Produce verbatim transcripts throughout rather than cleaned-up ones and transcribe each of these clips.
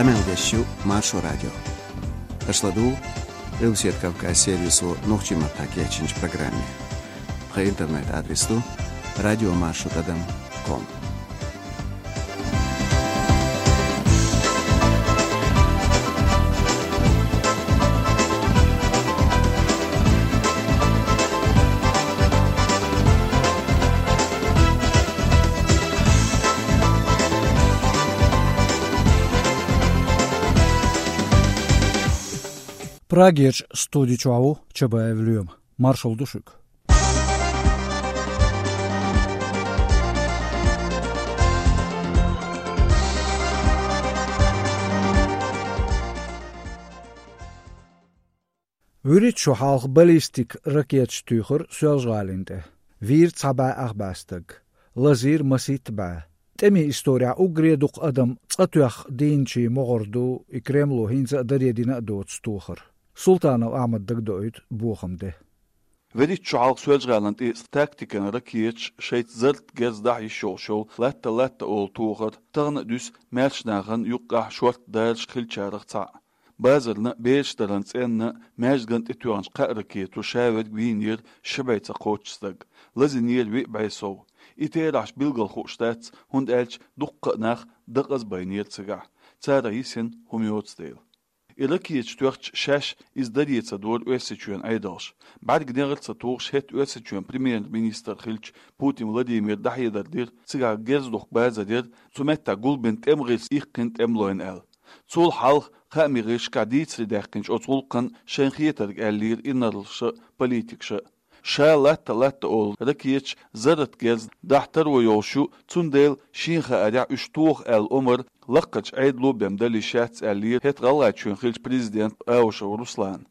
Къамел деш ю Маршо радио. Аша ладугӀу Къилбаседа Кавказ сервисо нохчийн маттахь кечйинчу программе. Тхан интернет-адрес ду радиомаршо тӀадам ком. Прагерчу студи чохь ву Чабаев Лоьма. Маршалла ду шуьга. ВуьрхӀитта шо хьалха баллистик ракеташ туьйхира Соьлжа-ГӀалина тӀе. Вийра цхьа бӀе ах бӀе стаг. Лазийра масийтта бӀе. ТӀемийн исторехь уггаре дукха адам цкъа тоьхна дийначийн могӀара ду и Кремло хӀинца а даре дина а доцу тохар. Султанов Ахьмада дагадоуьйту бохам де. ВуьрхӀитта шо хьалха Соьлжа-ГӀалина тӀе тактикан ракеташ шайца зарратан герз дахьа йиш йолуш йолу «Латта-Латта» олу тохар тахана а дуьсу маьрша нахана юккъехь шортта дараш хиллачарах цхьаъ. Базарна, бераш даран цӀенна, маьждиган тӀе тоьхначу кхаа ракето ша верг вийнера ши бӀе ца кхоччу стаг, лазийнера виъ бӀе сов. И терахьаш билггал хууш дац, хӀунда аьлча дуккха а нах дакъаза байнера цигахь. Царах йисина хӀума йоцу дела. И ракеташ тоьхча шаьш иза даре ца дора Оьрсийчоьнан Ӏедалша. БӀаьрг негӀар ца тухуш хӀетта Оьрсийчоьнан премьер-министр хиллачу Путин Владимира дӀахьедар дира, цигахь герз духку базар яра, цу меттехь гулбина тӀеман гӀирс иккхина тӀемалойн аьлла. Цул хьалха хаамийн гӀирсашкахь дийцаре даьккхинчу оцу гӀуллакхан шайна хетарг аьллера инарлаша а, политикаша а. Ша «Латта-Латта» олу ракеташ зарратан герз дахьа таро йолуш ю, цундела шена хаарехь уьш тоха аьлла омра лакхарчу Ӏедало бен дала йиш яц аьллера хӀетахь ГӀалгӀайчоьнан хиллачу президента Аушев Руслана.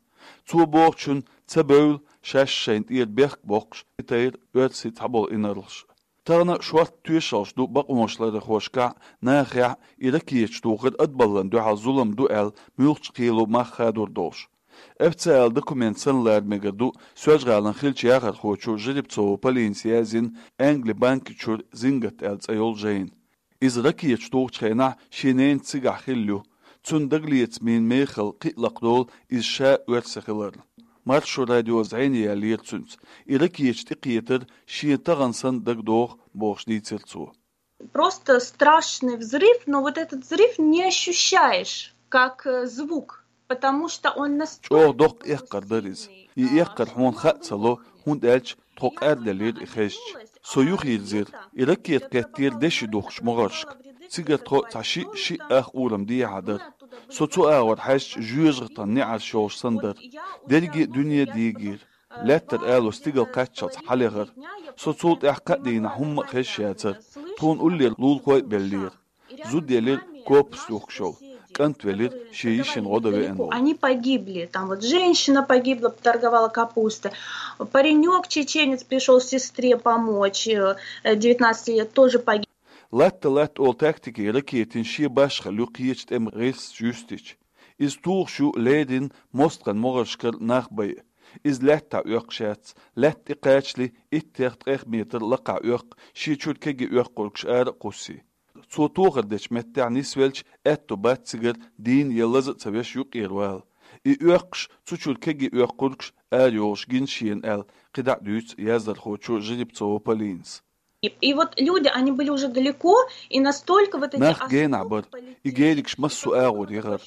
Цо бохучунна ца бевлла, шаьш шайна тӀера бехк боккхуш, тайра оьрсийн цхьаболу инарлаша. Тахана шортта тоьшаллаш ду бакъонаш ларъярхошкахь, нахехь и ракеташ тухар адбаллан дуьхьал зулам ду аьлла, муьлххачу кхело мах хадор долуш. Официалан документ санна лара мегар ду Соьлжа-ГӀалина хиллачу яхархочо Жеребцова Полинас яздина Англи банки чуьра «Зингат» аьлла цӀе йолу жайна. Иза ракеташ тухучу хенахь шен ненан цигахь хилла ю. Цунна дагалецамийн мехала кхин а лакхадолу иза ша оьрси хиларна. Маршо радио зӀене яьллера цуьнца. И ракеташ тӀекхетар шена тахана санна дагадогӀу бохуш дийцира цо. Просто страшный взрыв, но вот этот взрыв не ощущаешь, как э, звук, потому что он настолько... ЧӀогӀа доккха эккхар дара иза. И эккхар хьуна хаа ца ло, хӀунда аьлча тхо къарделира и хезча. Со юхайирзира, и ракета кхеттера деши духкучу могӀаршка. Цигара тхо цхьа шиъ-шиъ ах урам дехьа дара. Со цу агӀор хьаьжча жоьжахатан неӀарш йолуш санна дара. Дерриге а дуьне дийгийра. Лаьттара ало стигала кхаччалц хьалехара. Со цул тӀаьхьа кхаа дийнахь хӀумма а хезаш яцара. Тхуна уллера лулахой а беллера. Зуда елира корпус юхкуш йолу. КӀант велира, шен йишина гӀо дан веана волу. Они погибли. Там вот женщина погибла, торговала капустой. Паренек чеченец пришел сестре помочь, э, девятнадцати лет, тоже погиб. «Латта-Латта» олу тактикин ракетин шен башхалла ю кхечу тӀеман гӀирсаша юьстича. Иза тухуш ю леррина мостагӀан могӀаршкара нах байа. Иза лаьттахь оьккхуш яц, лаьтта тӀекхачале иттех-ткъех метр лакхахь оьккху, шен чуьра кегий оьккхургаш ара а кхуссий. Цо тохар дечу меттехь нисвелча, аьтто бац цигара дийна я лаза а ца веш юккъера вала. И оьккхуш, цу чуьра кегий оьккхургаш арайогӀуш гина шена аьлла, кхидӀа а дуьйцу яздархочо Жеребцова Полинас. И вот люди, они были уже далеко, и настолько вот эти... Нах генахь бара, и геригаш массо а агӀор яхара.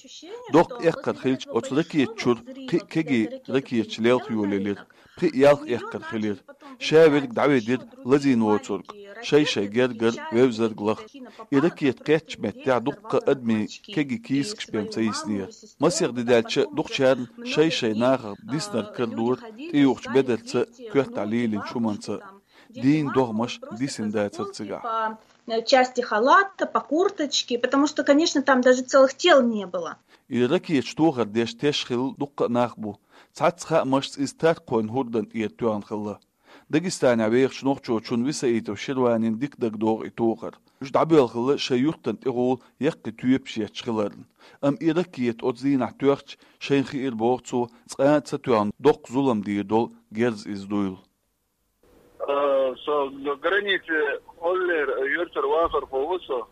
Доккха эккхар хилча, оцу ракета чуьра кхин а кегий ракеташ лелха йолаелира, кхин а ялх эккхар хилира. Ша верг дӀаведира лазийна воцург, шай-шай гергара вевзарг лаха. И ракета кхеттачу меттехь дуккха а адамийн кегий кийсакаш бен ца йиснера. Масех де даьлча дукхачарна шай-шай нахах диснарг карадора, тӀеюхучу бедарца, коьртахь лийлинчу хӀуманца. Дийна догӀмаш дисина дацара цигахь. Части халата, по курточке, потому что, конечно, там даже целых тел не было. И ракеташ тохар деш теш хилла дуккха а нах бу. Цхьацца хаамашца иза таркхойн хӀордан тӀера тоьхна хилла. Дагестанехь вехачу нохчочунна Висаитов Ширванина дика дагадогӀу и тохар. Уьш дӀабоьлла хилла шайн юьртан тӀехула яккхий тоьпаш етташ хиларна. Амма и ракета оцу дийнахь тоьхча, шайна хиира боху цо, цкъа а ца тоьхна доккха зулам дийр долу герз иза дуйла. Э, со граница Оллер, юьртара вахархо ву со.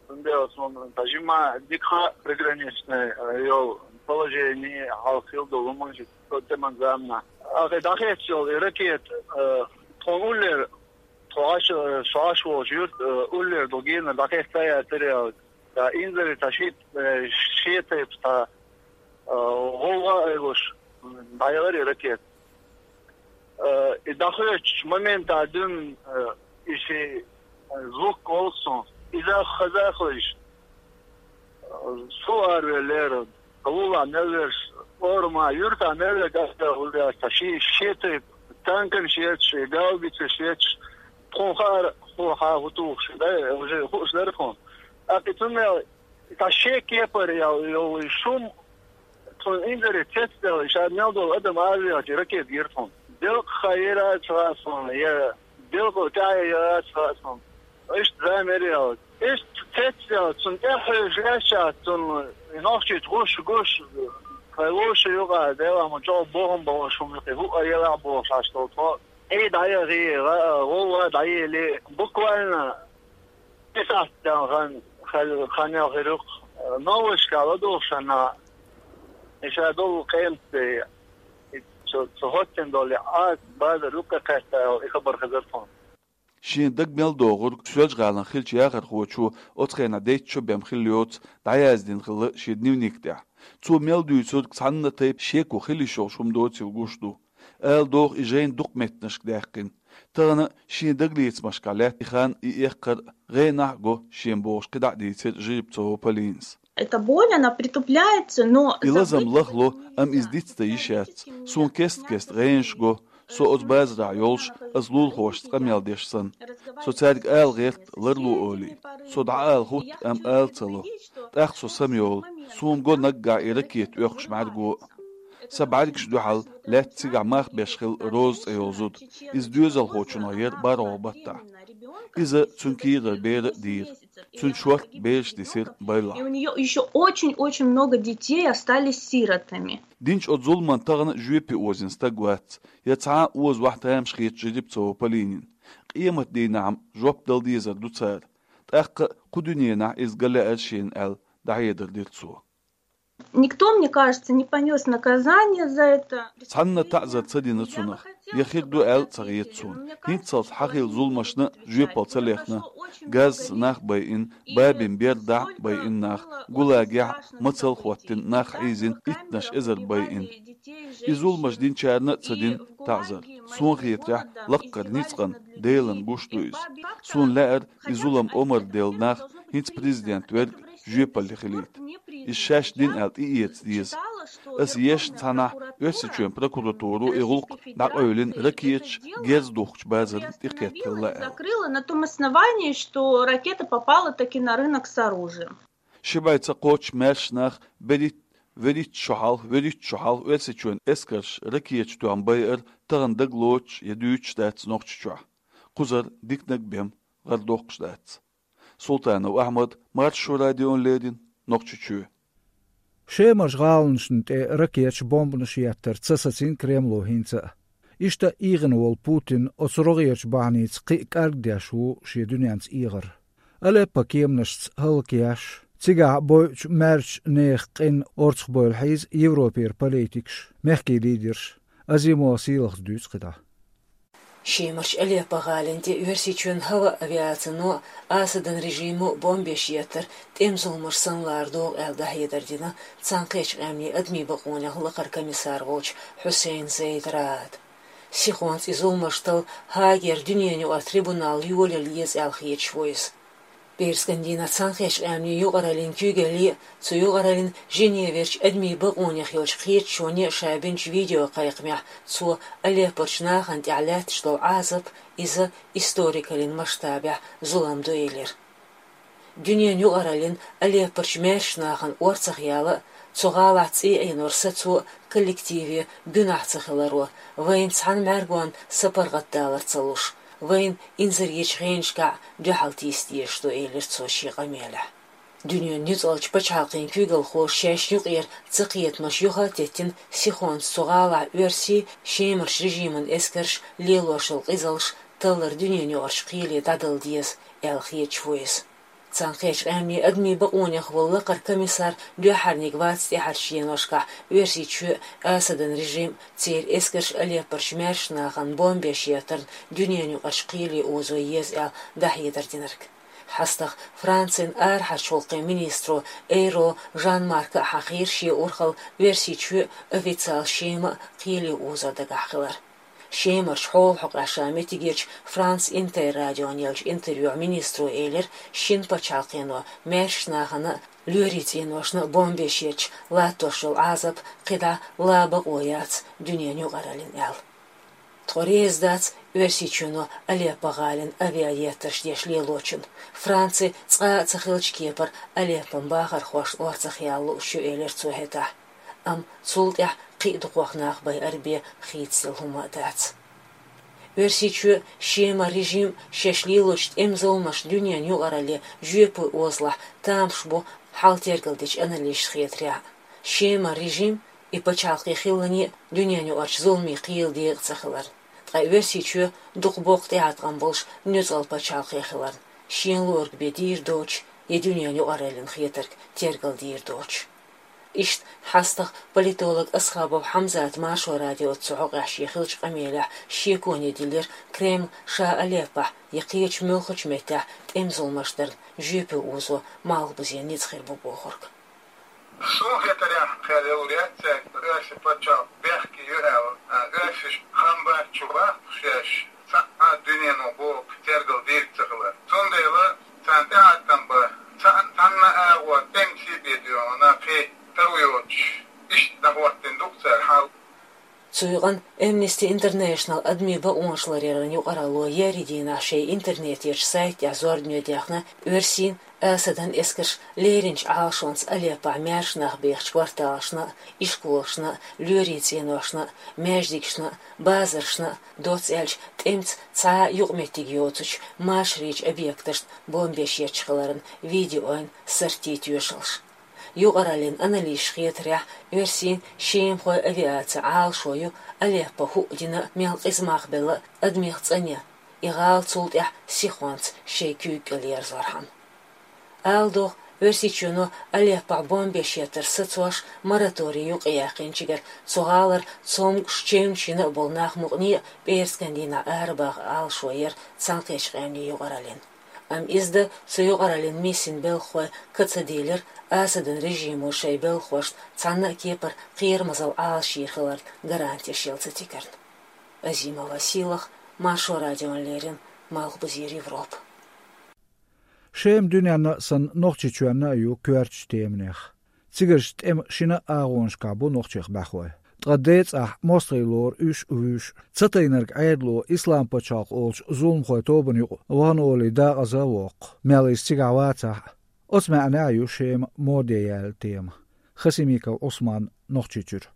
Цундела суна тажима дика приграничный, э, йол положение хьалха хила долу хӀуманаш, со тӀеман заманахь. Ахи дахьецчул и ракета, э, тхуна уллера, тхо Ӏаш, э, шо Ӏаш волчу юрт, э, уллера долу генара дахьецна яцара ял. Ткъа инзаре цхьа ши, э, шен тайпа цхьа, э, гӀовгӀа а йолуш, дӀаелира и ракета. Э, и дӀахоьцучу моментахь дуьйна, э, и ши, э, звук волу суна. Иза хазахалаш, э, со аравеллера, лулахь мел верш, орамахь, юьртахь мел верг аса хӀума яц, цхьа ши, шен тайпа танканаш етташ, и гаубицаш етташ, тхуна хаьара, хьо хьан хӀун тухуш, да, уже хууш дара тхуна. ТӀаккха и цу мел, цхьа шен кепара ял, йолу и шум, тхуна инзаре цецдаьлла, ша мел долу адам аравелча, ракета гира тхуна. Делкъа хан яра ца хаьа суна, я делкъа тӀаьхье яра ца хаьа суна. Иштта зама яра ял. Иштта цецдаьлла, цунна тӀаьхье хьоьжуш лаьтташ цунна, и нохчийчу гуш, гуш, кхай вовшийн юкъа, Дела, ма чӀогӀа бохам бохуш хӀума юкъе, хӀуъа елахь бохуш Ӏаш долу тхо. Эй, дӀаяхье, гӀа-, гӀовгӀа дӀаеле, буквально, и сахьт дан хан, хал-, хан ял хир ю-кх, новашка ладугӀушшехь, и ша долу къематде, и цу, цу хӀоттина долу Ӏаса базар юккъе кхетта, и хабар хезира тхуна. Шен даг мел догӀург Соьлжа-ГӀалин хиллачу яхархочо оцу хенахь дейтта шо бен хилла йоцу дӀаяздина хилла шен дневник тӀехь. Цо мел дуьйцург цхьанна а тайпа шеко хила йиш йолуш хӀума доцийла гуш ду. Ала догӀу, и жайна дукха меттанашка даьккхина. Тахана шен дагалецамашкахь лаьтта и хан, и эккхар гӀенахь а го шена бохуш кхидӀа а дийцира Жеребцова Полинас. Эта боль, она притупляется, но... И лазам лахло, амма иза дицдан йиш яц. Суна кест-кеста гӀенаш го, со оцу базарахь йолуш, аса лулахошца къамел деш санна. Со цаьрга ала гӀерта ларло олий. Со дӀаала хӀутту, амма ала ца ло. ТӀаккха со самайолу. Суна го наггахь и ракета оьхуш бӀаьрго а. Сан бӀаьргаш дуьхьал лаьтта цигахь мах беш хилла Роза цӀе йолу зуда. Иза доьзалхочунах яра бархӀалгӀа баттахь. Иза цуьнан кийрара бер а дийра. Цуьнан шортта бераш дисира байлахь. И у неё ещё очень-очень много детей остались сиротами. Динчу оцу зуламан тахана жоьпе озийна стаг вац, я цхьа а озавахь тамаш хеташ Жеребцова Полинина. Къематдийнахь-м жоп дала дезар ду цара. ТӀаккха кху дуьненахь иза ган лаьара шена аьлла, дӀахьедар дира цо. Никто, мне кажется, не понёс наказание за это. Цхьанна таӀзар ца дина цунах, я хир ду аьлла а ца хета суна. ХӀинццалц хьан хилла зуламашна жоьпалла ца лехна, газца нах байина, бабин бер дахь а байина нах, гулагехь а мацалла а хӀоттина нах хьийзина иттанаш эзар байина. И зуламаш динчарна а ца дина таӀзар. Суна хетарехь, лаккхара ницкъан, Делан гуш ду иза. Суна лаьара, и зулам омра делла нах хӀинца президент верг жоьпалле хилийта. Иза шаьш дина аьлла тӀеэца деза. Аса ешна цхьанхьа Оьрсийчоьнан прокуратуро и гӀуллакх дӀакъевлина ракеташ герз духкучу базарна тӀекхетта хилла аьлла. Закрыла на том основании, что ракета попала таки на рынок с оружием. Ши бӀе ца кхоччуш маьрша нах берхӀитта, верхӀитта шо хьалха, верхӀитта шо хьалха Оьрсийчоьнан эскарша ракеташ тоьхна байар тахана дагалоцуш я дуьйцуш дац Нохчийчохь. Кхузара диканиг бен гӀар доккхуш дац. Султанов Ахьмад, Маршо радиона леррина, Нохчийчоь. Шемарчу гӀаланашна тӀе ракеташ, бомбанаш еттар ца сацийна Кремло хӀинца а. Иштта эгӀина волу Путин оцу рогӀерчу бахьаница кхин а кӀаргдеш ву шен дуьненца эгӀар. Алеппо кеманашца хӀаллакъеш, цигахь бойучу маьршачу нехан къин орцахбойла хьийза Европера политикаш, мехкийн лидерш. Азимова Сийлахьас дуьйцу кхидӀа. Шемарчу Алеппо гӀалина тӀе Оьрсийчоьнан хӀаваан авиацино а, Асадан режимо а бомбеш еттар тӀеман зуламаш санна лара догӀу аьлла дӀахьедар дина Цхьаьнакхеттачу Къаьмнийн адамийн бакъонех лакхара комиссар волчу Хьусейн Зейд Раада. Сихонца и зуламаш талла Гаагера дуьненаюкъара трибунал йолаялла еза аьлла хеташ ву иза. Пхьарскан дийнахь Цхьаьнакхеттачу Къаьмнийн юкъараллин куьйгалле а, цу юкъараллин Женеверчу адамийн бакъонех йолчу кхеташоне а ша бинчу видеокхайкхамехь цо Алеппорчу нахана тӀехь лаьтташ долу Ӏазап, иза историкаллин масштабехь зулам ду элира. Дуьненан юкъараллин Алеппорчу маьршачу нахана орцах яла а, цу гӀалахь цӀий Ӏенор сацо а коллективе гуьнахь ца хиларо, вайна цхьана мӀаьргонна сапаргӀатдалар ца луш, вайна инзаречу хенашкахь дуьхьал тийса дезаш ду, элира цо шен къамелехь. Дуьненан нуьцкъалчу пачхьалкхийн куьйгалхоша шайшна юкъера цакхетамаш юха а теттина, сихонца цу гӀалахь оьрсийн, шемарчу режиман эскарша лелош йолу къизалш таллар дуьненаюкъарчу кхеле дӀадала деза аьлла хеташ ву иза. Цхьаьнакхеттачу Къаьмнийн адамийн бакъонех волу лакхара комиссар дуьххьарниг вац тӀаьхьарчу деношкахь Оьрсийчоь а, Асадан режим а, церан эскарш а Алеппорчу маьршачу нахана бомбеш еттарна дуьненаюкъарчу кхеле озо еза аьлла дӀахьедар динарг. ХьастагӀа Францин арахьарчу гӀуллакхийн министро Эйро Жан-Марка а хьахийра шен урхалла Оьрсийчоь а, официалан Шема а кхеле озо дагахь хилар. Шемарчу хьолан хьокъехь ша меттигерчу Франс Интер радиона еллачу интервьюхь министро элира, шина пачхьалкхено маьршачу нахана а, лоьрийн цӀеношна а бомбеш етташ латтош йолу Ӏазап кхидӀа лан бакъо яц дуьненан юкъараллина аьлла. Тхо реза дац Оьрсийчоьно Алеппо гӀалина авиаеттарш деш лелочунна. Франци цкъа а ца хиллачу кепара Алеппон бахархошна орцах яла лууш ю, элира цо хӀетахь. Амма цул тӀаьхьа кхин а дукхох нах байъар бен хийцаделла хӀума а дац. Оьрсийчоь а, Шеман режим а шаьш лелочу тӀеман зуламашна дуьненан юкъаралле жоьпе озалахь тамаш бу хьал тергалдечу аналисташна хетарехь а. Шеман режим а, и пачхьалкх хиларна а дуьненаюкъарчу зуламийн кхелан декъа ца хиларна. Ткъа Оьрсийчоь дукха боккха тӀеӀаткъам болуш нуьцкъала пачхьалкх хиларна, шен луург бен дийр доцуш, я дуьненан юкъараллина хетарг тергалдийр доцуш. Иштта хьастагӀа политолог Асхабов Хьамзата Маршо радиоца цу хьокъехь шен хиллачу къамелехь шеконе диллира Кремль ша Алеппохь я кхечу муьлххачу меттехь тӀеман зуламаш дарна жоьпе озо Малхбузен ницкъ хир бу бохург. Суна хетарехь, хьалха лур яц цаьрга, оьрсийн пачхьалкх бехке ю аьлла, а, оьрсаша хам бац чу бахкуш шаьш, цхьа а дуьнено боху тергалдийр ца хилар. Цундела царна тӀеӀаткъам бан, цхьа-, цхьанна а агӀор тӀемаца бен доьгӀна, кхин тар йоцуш, иштта дӀахӀоттийна ду-кх цара хьал. Цу юкъана Amnesty International адамийн бакъонаш ларъяран юкъаралло еарин дийнахь шайн интернетан сайтехь зорбане дехна Оьрсийн а, Асадан эскарша леринчу Ӏалашонца Алеппохь маьрша нах бехачу кварталашна а, ишколашна а, лоьрийн цӀеношна а, маьждигашна а, базаршна а, доцца аьлча тӀемаца цхьа а юкъаметтиг йоцучу машарийн объекташна бомбеш етташ хиларан видеойн сартий тоьшаллаш. Юкъараллин аналисташна хетарехь, оьрсийн, шемахойн авиацин Ӏалашо ю Алеппо хӀуъа дина а, мел къиза мах белла а адамех цӀанъян, и гӀала цул тӀаьхьа сихонца шайн куьйга кӀел ерзорхьама. Ала догӀу, Оьрсийчоьно Алеппохь бомбеш еттар сацош, мораторий юкъаяьккхинчигара цу гӀалара цомгуш, чевнаш йина а болу нах мукъане а пӀераскан дийнахь арабаха Ӏалашо яра Цхьаьнакхеттачу Къаьмнийн юкъараллин. Амма иза дан цу юкъараллин миссин белхахой ка ца дийлира, Асадан режимо шайн белхахошна цхьанна а кепара кхерамазалла Ӏалашйийр хиларна гарантеш яла ца тигарна. Азимова Сийлаха, Маршо радиона леррина, Малхбузера Европа. Шема дуьненна а санна, Нохчийчоьнна а ю коьртачу теманех. Цигарчу тӀеман шина а агӀонашкахь бу нохчех бӀаьхой. Ткъа децӀахь мостагӀий лору уьш а, вуьш а. Ца тайнарг Ӏедало Ислам пачхьалкх олучу зуламхойн тобанна юкъа вахана олий дакъаза а воккху, мел иза цигахь вацахь а. Оцу маьӀнехь а ю Шема моде яьлла тема. Хасимиков Ӏусман, Нохчийчуьра.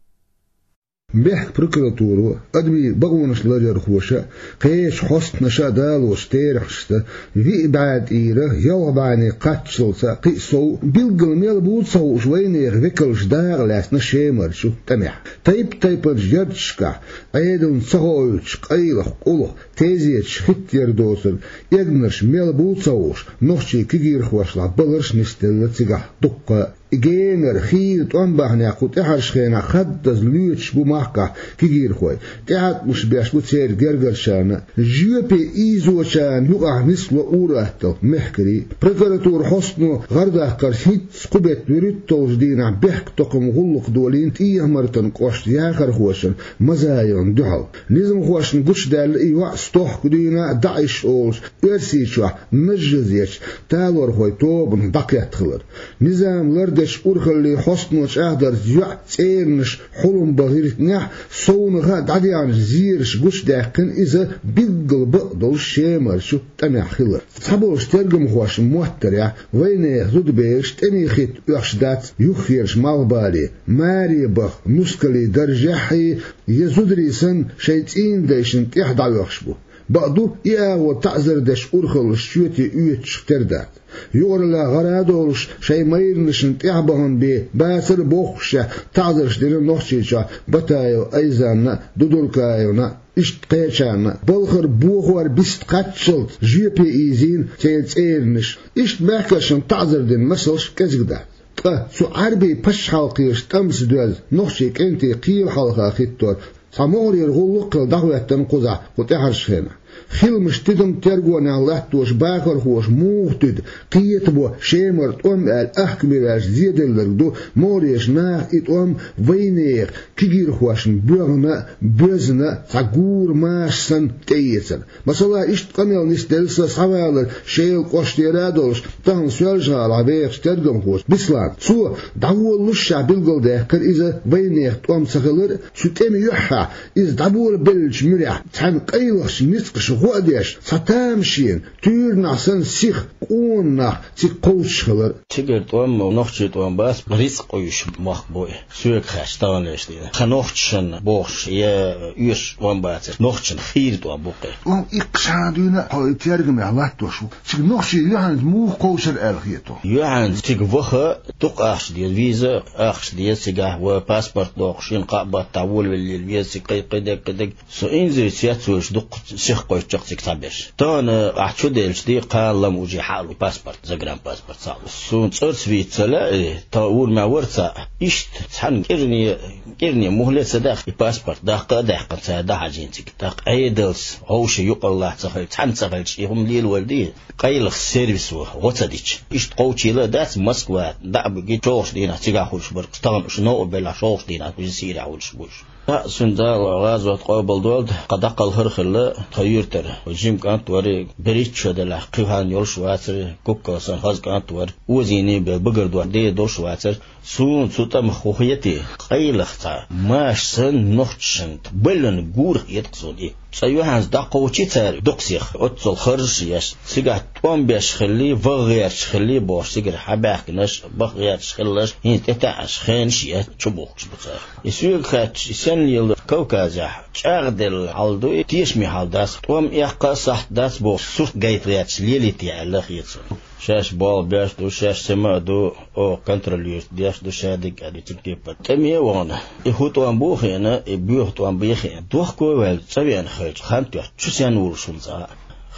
Мехкан прокуратуро, адамийн бакъонаш ларъярхоша а, кхечу хьостанаша а далочу терахьашца, виъ бӀе тӀера ялх бӀенне кхаччалца кхин а сов, билггал мел буй ца хууш, вайнехан векалш дакъа лаьцна Шемарчу тӀамехь. Тайп-тайпанчу ярташкахь, Ӏедална ца хоуьйтуш, къайлаха, къулаха, тезеташ хӀиттаяр доцург, эгнарш мел буй ца хууш, нохчийн кегийрхошлахь баларш а нисделла цигахь дуккха а. И генара, хийра тӀом бахьанехь кху тӀаьхьарчу хенахь хаддаза лоьцуш бу махкахь кегийрхой. ТӀеӀаткъамаш беш бу церан гергарчарна а, жоьпе ийзочарна юкъахь нисло ур-атталла мехкарий. Прокуратуран хьостано гӀардаккхарца хӀинцца кху беттан вуьрхӀитталгӀачу дийнахь бехктокхаман гӀуллакх долийна ТӀехьа-Мартан кӀоштан яхархочун Мазаевна дуьхьал. Низамхошна гучудаьлла и йоӀ стохка дуьйна а, ДАИШ олучу Оьрсийчохь нажжазечу талорхойн тобанах дӀакхетта хилар. Низам лардечу урхаллин хьостано чӀагӀдарца, йоӀ цӀернаш хьулам бан гӀиртинехь, совнаха а дӀадеанчу зераша гучудаьккхина иза билггал бакъдолуш Шемарчу тӀамехь хилар. Цхьаболчу тергамхошна моттарехь, вайнехан зудабераш тӀеман хӀитта оьхуш дац юххерчу малхбале, маре баха, нускалан даржехь а, я зударий санна шайн цӀийнан дайшна тӀехь дӀаоьхуш бу. Бакъду, и агӀо таӀзар деш урхаллаш чоте оьцуш тера дац. Юкъараллехь гӀара а долуш, шайн майранашна тӀаьхьа бахана бен бацар а бохушехь, таӀзарш дина Нохчийчохь Батаева Айзанна а, Дудуркаевна а, иштта кхечарна а. Балхара бохор бист кхаччалц жоьпе ийзийна церан цӀеранаш. Иштта мехкаршна таӀзар дина масалш кӀезиг дац. Ткъа цу Ӏаьрбийн пачхьалкхера тӀамца доьзна нохчийн кӀентий кхелан хьалха хӀиттор цхьа могӀарера гӀуллакх а хилла дӀахӀоьттина кхузахь кху тӀаьхьарчу хенахь. Хиламаш тидам тергонехь латтош бахархоша муха туьду, кхетабо Шемара тӀом аьлла ахкаме ваьлча зеделларг ду, могӀарерчу наха и тӀом вайнехан кегийрхошна боьгӀна а, боьзна а, цхьа гура маша санна тӀеэцар. Масала, иштта къамел нисделла сан схьавалар Шелан кӀоштера а долуш, тахана Соьлжа-ГӀалахь вехачу тергамхочу Беслана. Цо дӀаволалушшехь билгалдаьккхира иза вайнехан тӀом ца хилар а, цу тӀеман юьххьехь иза дӀаболабеллачу муьрехь цхьаьна къайлахчу ницкъаша гӀо а деш, цхьа тамашийна, туьйранахь санна сиха къона нах цига кховдуш хилар. Цигара тӀом, нохчийн тӀом бац, рицкъ къуьйсуш мохк бу и. Соьга хаьттича таханлерчу дийнахь. Тхан нохчашна бохуш, я оьшуш тӀом бацар, нохчашна хийра тӀом бу-кх и. ТӀом иккхачхьана дуьйна а хьо и тергамехь латтош ву. Цига нохчий юьхьанца муха кховшар аьлла хета хьуна? Юьхьанца цига ваха дукха ахча деза, виза ахча деза цигахь, вай паспорт доккхуш, шина-кхаа баттахь волавеллера веза цига кхин-кхин дерг, кхин дерг. Со инзаре цецвевлча дуккха сиха кхойтта чекх цига цхьаберш. Тахана ахь чуделлачу дийнахь кхана-лама уже хьаалу паспорт, загранпаспорт схьаалу. Суна цӀарца вийца ца лаьа, тахана урамехь вара цхьаъ. Иштта цхьаьна кӀирне, кӀирне мухӀле а ца даьхна, и паспорт даккха а даьккхина, цара дӀахьажийна цига. ТӀаккха Ӏедалца хьовша юкъараллахь ца хилча, цхьаьна ца хилча, и хӀума лелавала деза. Къайлаха сервисо гӀо ца дича. Иштта кхочийла а дац Москва, дӀа а буьгий, шолгӀачу дийнахь цигахь хуьлуш бара, тахана уьш новкъа белахь, шолгӀачу дийнахь уьш Сирехь хуьлуш бу уьш. Цхьаъ, цуьнан Дала гӀазот къобалдойла, тхан дӀакхалхар а хилла, тхан юьртара жима кӀант вара, берхӀитта шо делахь кхин хьалха йолуш вацара, куккал санна хаза кӀант вара, озийна бен багар дохка ден долуш вацара. Суна цу тӀамах хӀун хета, къайлаха цхьа маша санна нохчашна баллина гура хета-кх суна и. Цкъа юьхьанца дӀакхочий цара дукха сиха, оццул харжаш еш, цигахь тӀом беш хилале, ваха гӀерташ хилале бохуш, цигара хьабаьхкинарш, баха гӀерташ хиларш, хӀинца тӀетаьӀаш хенаш а еш, чубухкуш бу цара. И соьга хаьттича, и сенна лела Кавказехь чӀагӀделла хьал ду, и тешаме хьал дац, тӀом эккха а сахьт дац бохуш, сурт гайта гӀерташ лелийта аьлла хета суна. Шаьш болх беш ду, шаьш сема а ду, оха контролировать деш ду, шадерг а ду, цига тайпа. ТӀеме а вахана, и хӀун тӀом бу а хиъна, и боьха тӀом бен а хиъна, дохко а ваьлла, цӀа веана хилча, хан тоьхча, чу сенна вуьйлуш ву цхьа а?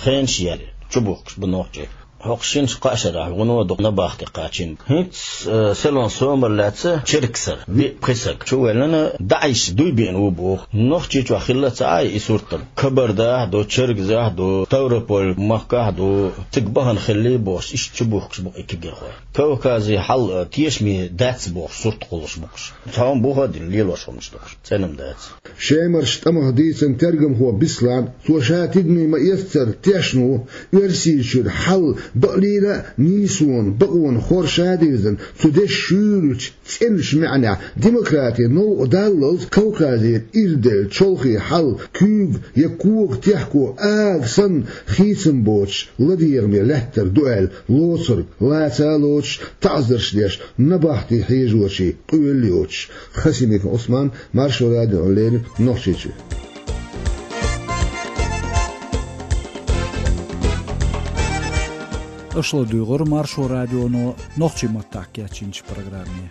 Хенаш а яьлла, чубухкуш бу нохчий. ХӀокху шина-кхаа шарахь вуно дукха набахти кхачийна. ХӀинца, э, селон Сомара лаьцна Чергсара виъ-пхи саг чувоьллина, ДАИШ дуй биъна ву боху. Нохчийчохь хилла ца Ӏа и сурт-м? Кабардахь а ду, Чергазахь а ду, Ставрополь-махкахь а ду, цига бахана хилале бохуш, иштта чубухкуш бу и кегийрхой. Кавказе хьал, э, тешаме дац бохуш, сурт кхуллуш бу-кх уьш. Цхьа хӀума буха а дина, лелош хӀуманаш ду-кх уьш. ЦӀена-м дац. Шемарчу тӀамах дийцина тергамхо Беслан, цо ша тидаме ма-эццара тешна ву, Оьрсийчуьра хьал бакълийна а нийсонан, бакъонан хорша а дирзина, цу дешан шуьйрачу, цӀеначу маьӀнехь, демократин новкъа даллалц Кавказера ирделла чолхе хьал куьйга я кога техко ага санна хийцам боцуш ладегӀаме лаьттар ду аьлла, лоцург лаца а лоцуш, таӀзарш деш, набахти хьежочийн къоьлла йоцуш. Хасимиков Ӏусман, Маршо радиона леррина Нохчийчуьра. Аша ладуьйгӀира Маршо радионо нохчийн маттахь кечйинчу программе.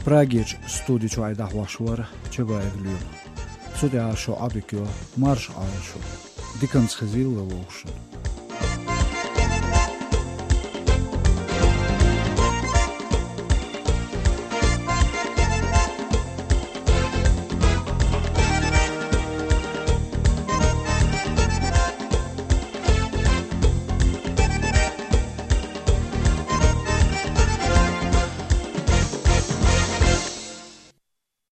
Прагерчу студи чуьра дӀахьош вара Чабаев Лоьма. Цу тӀехь шун Ӏодика йо, марша Ӏойла шу. Диканца хезийла вовшашна.